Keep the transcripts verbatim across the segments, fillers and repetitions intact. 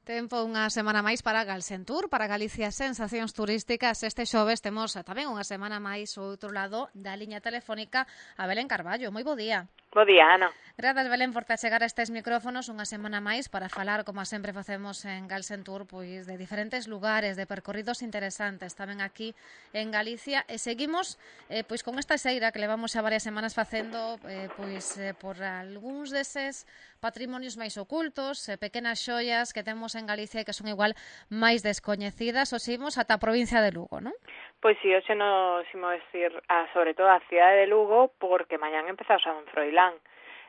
Tempo unha semana máis para Galsentur, para Galicia Sensacións Turísticas. Este xoves temos tamén unha semana máis ao outro lado da liña telefónica a Belén Carballo. Moi bo día. Bo día, Ana. Grazas, Belén, por te achegar a estes micrófonos unha semana máis para falar, como sempre facemos en Galsentur, pois de diferentes lugares, de percorridos interesantes tamén aquí en Galicia, e seguimos eh, pois con esta xeira que levamos xa varias semanas facendo eh, pois eh, por algúns deses patrimonios máis ocultos, eh, pequenas xoias que temos en Galicia e que son igual máis descoñecidas. Os imos ata a provincia de Lugo, non? Pois si, hoxe nos imos ir a, sobre todo a cidade de Lugo, porque mañán empeza o San Froilán.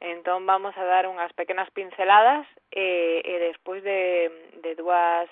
Entón vamos a dar unhas pequenas pinceladas e, e despois de, de dúas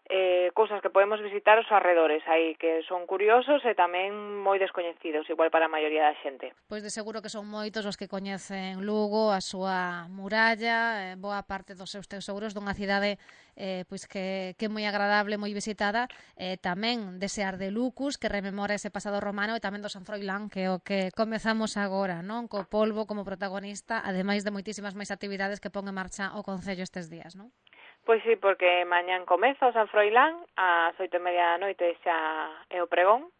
eh, cousas que podemos visitar os arredores aí, que son curiosos e tamén moi descoñecidos, igual para a maioría da xente. Pois de seguro que son moitos os que coñecen Lugo, a súa muralla, eh, boa parte dos seus tesouros dunha cidade eh, pois que, que é moi agradable, moi visitada, eh, tamén dese Ardelucus que rememora ese pasado romano, e tamén do San Froilán, que é o que comezamos agora, non? Co polvo como protagonista, ademais de moitísimas máis actividades que pon en marcha o Concello estes días, non? Pois sí, porque mañán comeza o San Froilán, ás oito e media da noite xa é o pregón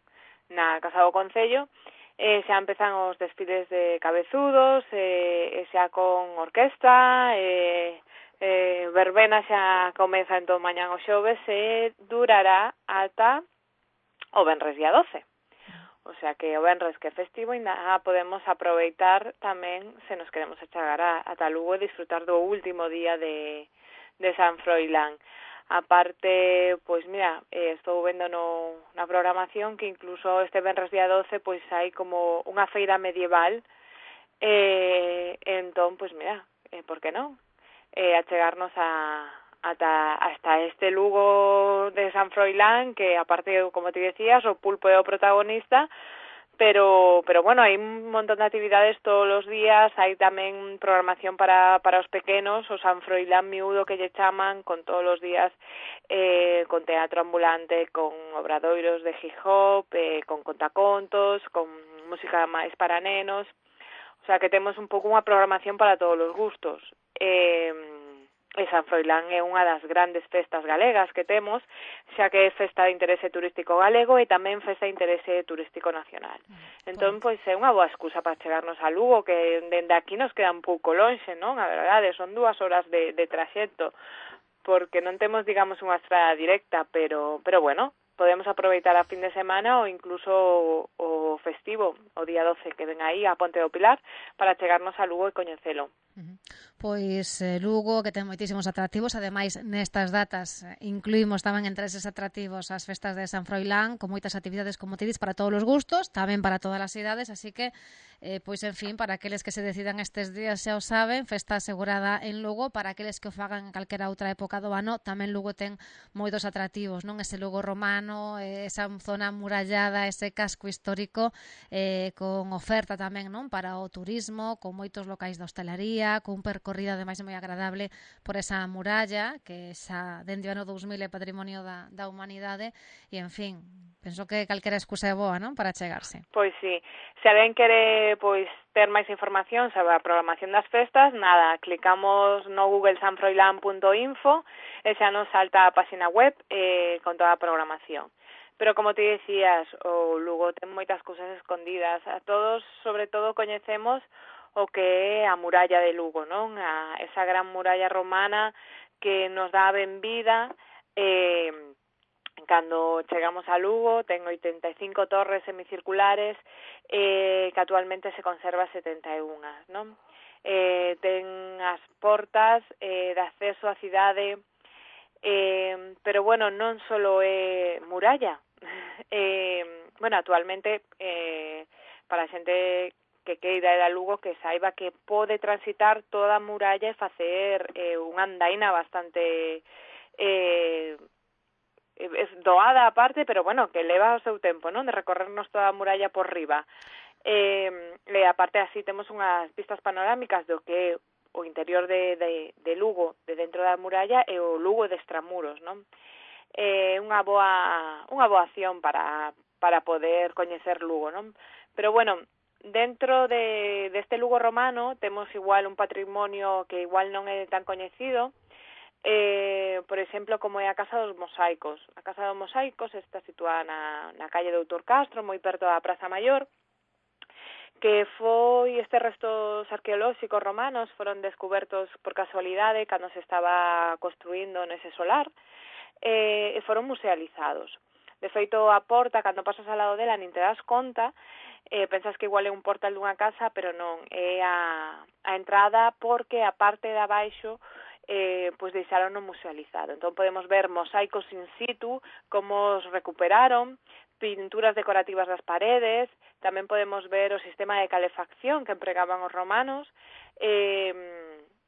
na Casa do Concello, e xa empezan os desfiles de cabezudos, e, e xa con orquesta, e, e verbena xa comeza entón mañán o xoves e durará ata o venres día doce. O sea que o venres que é festivo ainda podemos aproveitar tamén se nos queremos achegar a, ata Lugo e disfrutar do último día de de San Froilán. Aparte, pois mira, eh, estou vendo no, na programación que incluso este venres día doce pois hai como unha feira medieval, e eh, entón, pois mira, eh, por que non? Eh, achegarnos a ata hasta este Lugo de San Froilán, que aparte, como te decías, o pulpo é o protagonista, pero pero bueno, hai un montón de actividades todos os días, hai tamén programación para para os pequenos, o San Froilán miúdo que lle chaman, con todos os días eh, con teatro ambulante, con obradoiros de hip hop, eh, con contacontos, con música máis para nenos, o sea que temos un pouco unha programación para todos os gustos. Eh, E San Froilán é unha das grandes festas galegas que temos, xa que é festa de interese turístico galego e tamén festa de interese turístico nacional. Entón, pois, é unha boa excusa para chegarnos a Lugo, que dende aquí nos queda un pouco lonxe, non? A verdade, son dúas horas de, de traxecto, porque non temos, digamos, unha estrada directa, pero, pero bueno, podemos aproveitar a fin de semana ou incluso o, o festivo, o día doce, que ven aí a Ponte do Pilar, para chegarnos a Lugo e coñecelo. Uh-huh. Pois eh, Lugo, que ten moitísimos atractivos, ademais nestas datas eh, incluímos tamén entre eses atractivos as festas de San Froilán, con moitas actividades, como te dis, para todos os gustos, tamén para todas as idades, así que eh, pois en fin, para aqueles que se decidan estes días xa o saben, festa asegurada en Lugo. Para aqueles que o fagan en calquera outra época do ano, tamén Lugo ten moitos atractivos, non? Ese Lugo romano, eh, esa zona murallada, ese casco histórico, eh, con oferta tamén, non? Para o turismo, con moitos locais de hostalería, cun percorrido ademais moi agradable por esa muralla que xa dende o ano dous mil é patrimonio da, da humanidade, e en fin, penso que calquera excusa é boa, non? Para chegarse. Pois sí, se alguén quere pois ter máis información sobre a programación das festas, nada, clicamos no google sanfroilán punto info e xa nos salta a página web eh, con toda a programación. Pero como te decías, o Lugo ten moitas cousas escondidas. A todos, sobre todo, coñecemos o que é a muralla de Lugo, non? A esa gran muralla romana que nos dá a benvida eh, cando chegamos a Lugo. Ten oitenta e cinco torres semicirculares eh, que actualmente se conserva setenta e unha, non? Eh, ten as portas eh, de acceso á cidade, eh, pero bueno, non só é muralla. eh, bueno, actualmente eh, para a xente que queira ir a Lugo, que saiba que pode transitar toda a muralla e facer eh, unha andaina bastante eh, doada aparte, pero bueno, que leva o seu tempo, non? De recorrernos toda a muralla por riba. Eh, e aparte así temos unhas vistas panorámicas do que é o interior de, de, de Lugo, de dentro da muralla, e o Lugo de extramuros, non? É eh, unha boa unha boa acción para para poder coñecer Lugo, non? Pero bueno, dentro de deste Lugo romano temos igual un patrimonio que igual non é tan coñecido, eh, por exemplo, como é a Casa dos Mosaicos. A Casa dos Mosaicos está situada na, na calle Doutor Castro, moi perto da Praza Maior, que foi estes restos arqueolóxicos romanos foron descubertos por casualidade cando se estaba construindo nese solar, eh, e foron musealizados. De feito, a porta, cando pasas ao lado dela, nin te das conta, eh, pensas que igual é un portal dunha casa, pero non, é a, a entrada porque a parte de abaixo eh, pois deixaron no musealizado. Entón podemos ver mosaicos in situ, como os recuperaron, pinturas decorativas das paredes, tamén podemos ver o sistema de calefacción que empregaban os romanos. Eh,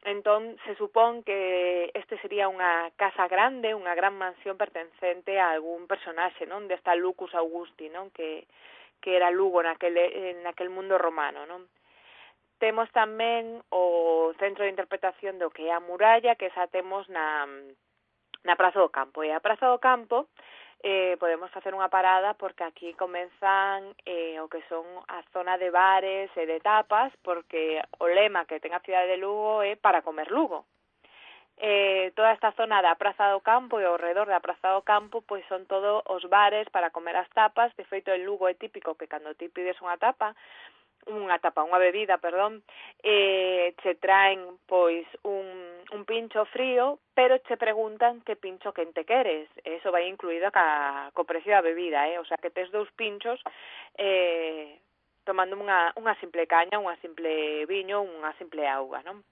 entón se supón que este sería unha casa grande, unha gran mansión pertencente a algún personaxe, non? Desta Lucus Augusti, non? Que, que era Lugo naquele, naquel mundo romano, non? Temos tamén o centro de interpretación do que é a muralla, que esa temos na, na Praza do Campo. E a Praza do Campo eh, podemos facer unha parada porque aquí comenzan eh, o que son a zona de bares e de tapas, porque o lema que ten a cidade de Lugo é para comer Lugo. Eh, toda esta zona da Praza do Campo e ao redor da Praza do Campo pois son todos os bares para comer as tapas. De feito, en Lugo é típico que cando ti pides unha tapa, unha tapa, unha bebida, perdón, eh, che traen, pois, un, un pincho frío, pero che preguntan que pincho quente queres. Eso vai incluído ca, co precio da bebida, eh? O sea, que tes dous pinchos eh, tomando unha, unha simple caña, unha simple viño, unha simple auga, non?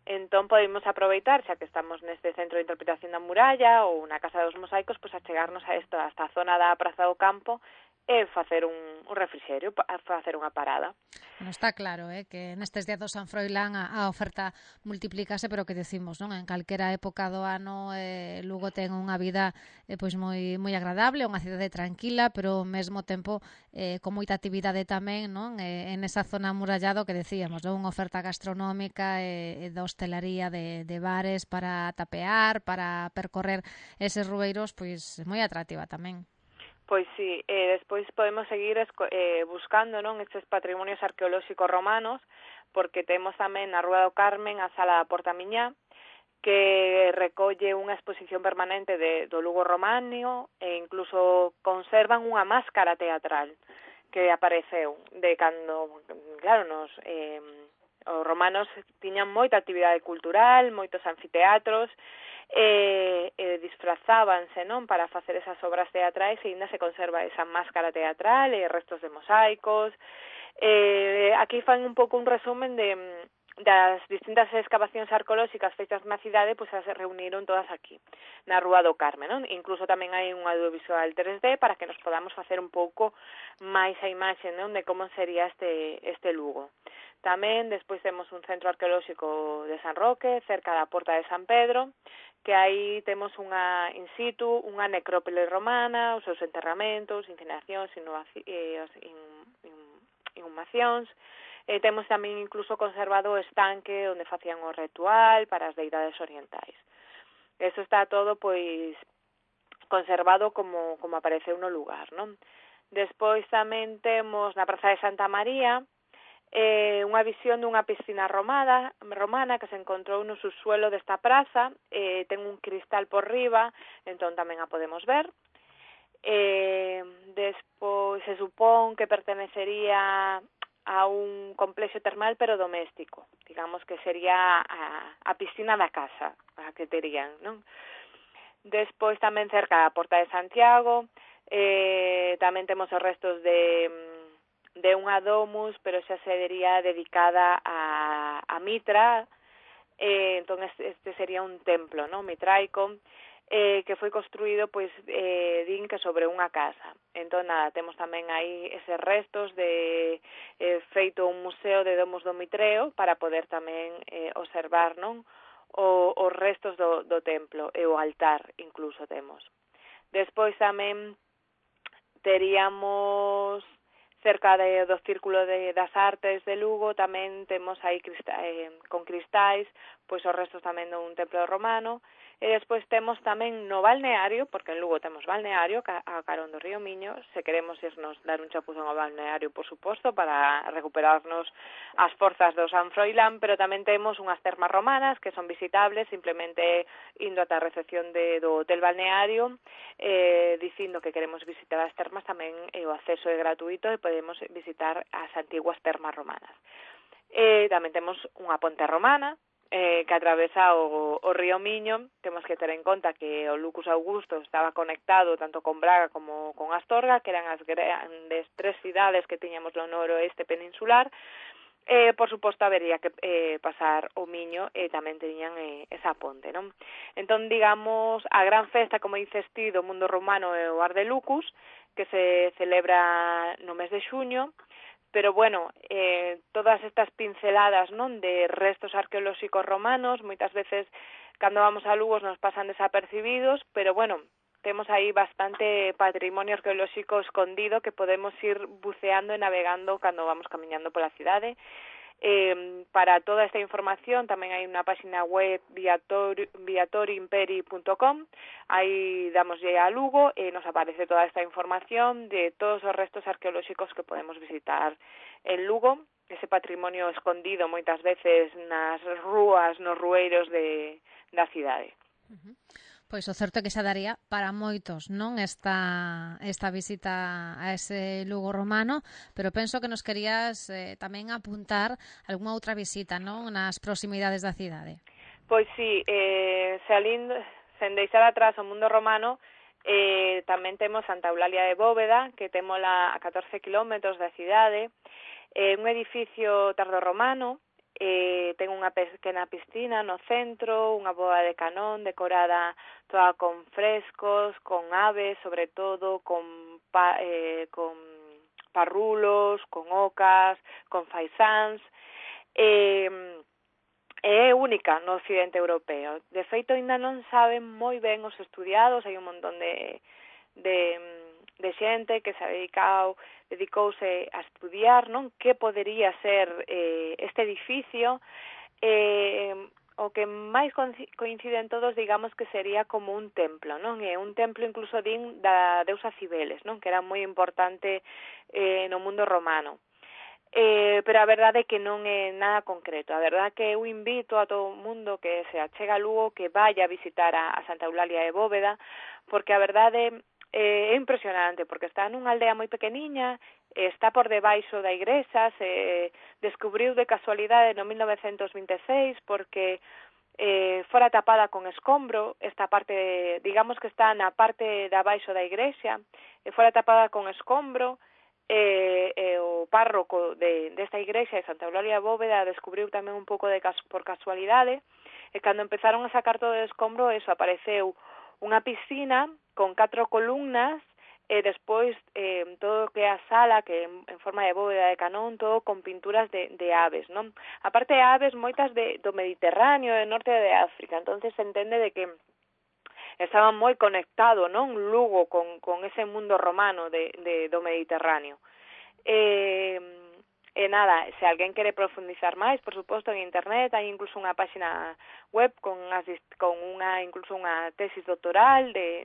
Entón podemos aproveitar, xa que estamos neste centro de interpretación da muralla ou na Casa dos Mosaicos, pois a chegarnos a isto, a esta zona da Praza do Campo, e facer un, un refrixerio, facer unha parada. Bueno, está claro, eh, que nestes días do San Froilán a, a oferta multiplícase, pero que decimos, non? En calquera época do ano eh, Lugo ten unha vida eh, pois moi moi agradable, unha cidade tranquila, pero ao mesmo tempo eh, con moita actividade tamén, non? Eh, en esa zona amurallado que decíamos, non? Unha oferta gastronómica e eh, de hostelería, de, de bares para tapear, para percorrer eses rueiros, pois moi atractiva tamén. Pois sí, eh, despois podemos seguir eh, buscando, non, estes patrimonios arqueolóxicos romanos, porque temos tamén na Rúa do Carmen a Sala da Porta Miñá, que recolle unha exposición permanente de, do Lugo romano e incluso conservan unha máscara teatral que apareceu de cando, claro, nos eh, os romanos tiñan moita actividade cultural, moitos anfiteatros, e, e disfrazábanse, non, para facer esas obras teatrais, e ainda se conserva esa máscara teatral e restos de mosaicos. Eh, aquí fan un pouco un resumen de das distintas excavacións arqueolóxicas feitas na cidade, pois se reuniron todas aquí, na Rúa do Carmen, non? Incluso tamén hai un audiovisual tres D para que nos podamos facer un pouco máis a imaxe, non, de como sería este este Lugo. Tamén despois temos un centro arqueolóxico de San Roque, cerca da Porta de San Pedro, que aí temos unha in situ, unha necrópole romana, os seus enterramentos, incineracións, inhumacións. E temos tamén incluso conservado o estanque onde facían o ritual para as deidades orientais. Eso está todo, pois, conservado como, como apareceu no lugar, non? Despois tamén temos na Praza de Santa María eh, unha visión dunha piscina romana, romana que se encontrou no subsuelo desta praza, eh, ten un cristal por riba, entón tamén a podemos ver. Eh, despois se supón que pertenecería a un complexo termal pero doméstico, digamos que sería a, a piscina da casa, a que terían, non? Despois tamén cerca da Porta de Santiago, eh, tamén temos os restos de, de unha domus, pero xa sería dedicada a, a Mitra, eh, entón este sería un templo, non, mitraico, eh, que foi construído, pois, eh, din que sobre unha casa. Entón, nada, temos tamén aí eses restos de eh, feito un museo de Domus do Mitreo para poder tamén eh, observar, non, o, os restos do, do templo e o altar incluso temos. Despois tamén teríamos cerca de, do Círculo de, das Artes de Lugo, tamén temos aí crista, eh, con cristais, pois os restos tamén dun templo romano, E despois temos tamén no balneario, porque en Lugo temos balneario, a carón do río Miño, se queremos irnos dar un chapuzón ao balneario, por suposto, para recuperarnos as forzas do San Froilán, pero tamén temos unhas termas romanas que son visitables, simplemente indo ata a recepción de, do hotel balneario, eh, dicindo que queremos visitar as termas, tamén eh, o acceso é gratuito e podemos visitar as antiguas termas romanas. Eh, tamén temos unha ponte romana, Eh, que atravesa o, o río Miño. Temos que ter en conta que o Lucus Augusto estaba conectado tanto con Braga como con Astorga, que eran as grandes tres cidades que tiñamos no noroeste peninsular. Eh, por suposto, habería que eh, pasar o Miño e tamén teñan eh, esa ponte, non? Entón, digamos, a gran festa, como dices ti, do mundo romano é o Ar de Lucus, que se celebra no mes de xuño. Pero, bueno, eh, todas estas pinceladas, non, de restos arqueolóxicos romanos, moitas veces, cando vamos a Lugo, nos pasan desapercibidos, pero, bueno, temos aí bastante patrimonio arqueolóxico escondido que podemos ir buceando e navegando cando vamos camiñando pola cidade. Eh, para toda esta información tamén hai unha página web viatoriimperi punto com, aí damoslle a Lugo e nos aparece toda esta información de todos os restos arqueolóxicos que podemos visitar en Lugo, ese patrimonio escondido moitas veces nas rúas, nos rueiros de, da cidade. Uh-huh. Pois o certo é que xa daría para moitos, non, esta esta visita a ese Lugo romano, pero penso que nos querías eh, tamén apuntar algunha outra visita, non, nas proximidades da cidade. Pois sí, eh, salindo, sen deixar atrás o mundo romano, eh, tamén temos Santa Eulalia de Bóveda, que témola a catorce kilómetros da cidade, eh, un edificio tardorromano. Eh, ten unha pequena piscina no centro, unha boa de canón decorada toda con frescos, con aves, sobre todo, con, pa, eh, con parrulos, con ocas, con faisáns. Eh, é única no occidente europeo. De feito, ainda non saben moi ben os estudiados, hai un montón de, de, de xente que se ha dedicado dedicouse a estudiar, non, que podería ser eh, este edificio. Eh, o que máis coinciden todos, digamos que sería como un templo, non? É un templo incluso din da deusa Cibeles, non? Que era moi importante eh, no mundo romano. Eh, pero a verdade é que non é nada concreto. A verdade é que eu invito a todo o mundo que se achega a Lugo que vaya a visitar a, a Santa Eulalia de Bóveda, porque a verdade é impresionante, porque está nunha aldea moi pequeniña, está por debaixo da igrexa, se descubriu de casualidade no mil novecentos vinte e seis, porque eh, fora tapada con escombro, esta parte, digamos que está na parte de abaixo da igrexa, e fora tapada con escombro, e, e o párroco de, desta igrexa de Santa Eulalia de Bóveda descubriu tamén un pouco de cas, por casualidade, e cando empezaron a sacar todo o escombro, eso, apareceu unha piscina con catro columnas e despois eh, todo o que é a sala, que en, en forma de bóveda de canón, todo con pinturas de, de aves, non? Aparte de aves, moitas de, do Mediterráneo, do norte de África, entonces se entende de que estaba moi conectado, non, Lugo con, con ese mundo romano de, de, do Mediterráneo. Eh, E nada, se alguén quere profundizar máis, por suposto, en internet, hai incluso unha página web con, as, con unha, incluso unha tesis doctoral de,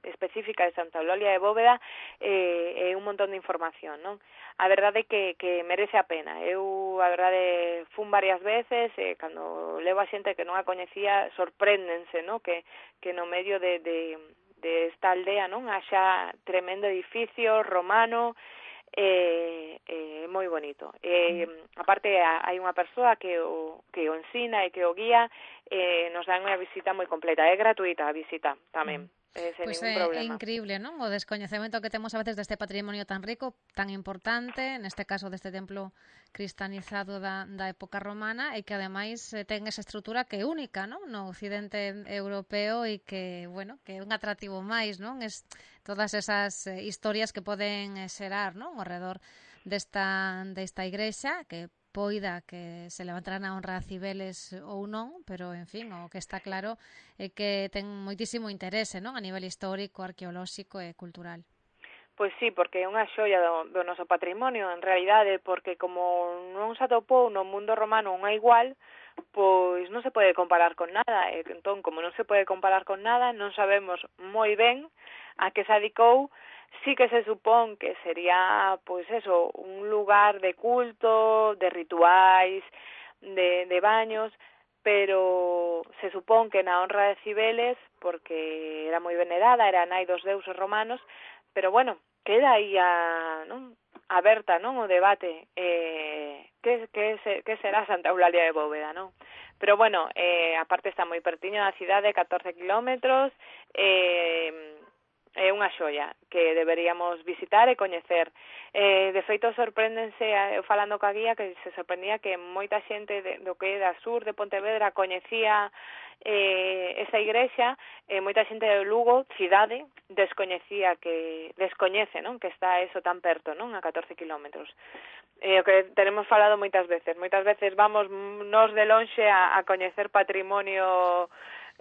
específica de Santa Eulalia de Bóveda e, e un montón de información, non? A verdade é que, que merece a pena. Eu, a verdade, fun varias veces e cando levo a xente que non a coñecía, sorpréndense, non? Que, que no medio de, de, de esta aldea, non? Haxa tremendo edificio romano, é eh, eh, moi bonito. Eh, aparte, hai unha persoa que o, que o ensina e que o guía, eh, nos dan unha visita moi completa. É gratuita a visita tamén. Eh, sen pois ningún é, problema. É increíble, non? O descoñecemento que temos a veces deste patrimonio tan rico, tan importante, neste caso deste templo cristianizado da, da época romana, e que ademais ten esa estrutura que é única, non? No occidente europeo e que, bueno, que é un atractivo máis, non? Es todas esas eh, historias que poden xerar, non? Ao redor desta, desta igrexa, que poida que se levantarán a honra a Cibeles ou non, pero, en fin, o que está claro é que ten moitísimo interese, non? A nivel histórico, arqueolóxico e cultural. Pois sí, porque é unha xoia do, do noso patrimonio, en realidade, porque como non se atopou no mundo romano unha igual, pois non se pode comparar con nada. E entón, como non se pode comparar con nada, non sabemos moi ben a que se adicou. Sí que se supón que sería, pois eso, un lugar de culto, de rituais, de, de baños, pero se supón que na honra de Cibeles, porque era moi venerada, era nai dos deuses romanos, pero bueno, queda aí a, non, aberta, non, o debate, eh, que, que, se, que será Santa Eulalia de Bóveda, non? Pero bueno, eh, aparte está moi pertiño da cidade, catorce kilómetros, eh, é unha xoia que deberíamos visitar e coñecer. Eh, de feito, sorpréndense, eu falando ca guía, que se sorprendía que moita xente de, do que é da sur de Pontevedra coñecía eh, esa igrexa, e eh, moita xente de Lugo, cidade, descoñecía que, descoñece, non? Que está eso tan perto, non? A catorce kilómetros. Eh, o que tenemos falado moitas veces. Moitas veces vamos nos de lonxe a, a coñecer patrimonio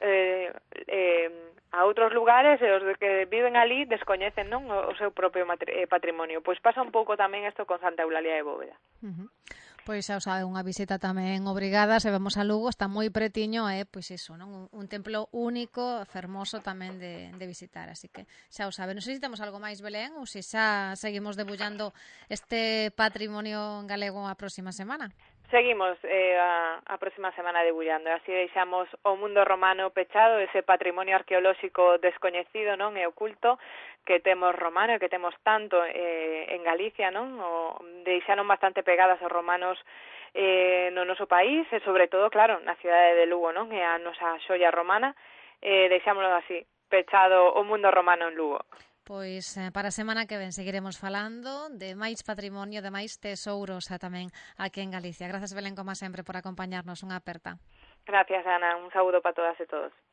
eh, eh, a outros lugares, e os que viven ali descoñecen, non, o seu propio patrimonio. Pois pasa un pouco tamén isto con Santa Eulalia de Bóveda. Uh-huh. Pois xa o sabe, unha visita tamén obrigada, se vamos a Lugo, está moi pretiño, é, eh, pois iso, non? Un, un templo único, fermoso tamén de, de visitar, así que xa o sabe. Non sei se temos algo máis, Belén, ou se xa seguimos debullando este patrimonio galego a próxima semana. Seguimos eh, a, a próxima semana debullando, así deixamos o mundo romano pechado, ese patrimonio arqueolóxico descoñecido, non, e oculto que temos romano e que temos tanto eh, en Galicia, non? O, deixaron bastante pegadas os romanos eh, no noso país, e sobre todo, claro, na cidade de Lugo, non? É a nosa xoia romana, eh, deixámoslo así, pechado o mundo romano en Lugo. Pois eh, para a semana que ven seguiremos falando de máis patrimonio, de máis tesouros a tamén aquí en Galicia. Grazas, Belén, como sempre, por acompañarnos. Unha aperta. Gracias, Ana. Un saúdo para todas e todos.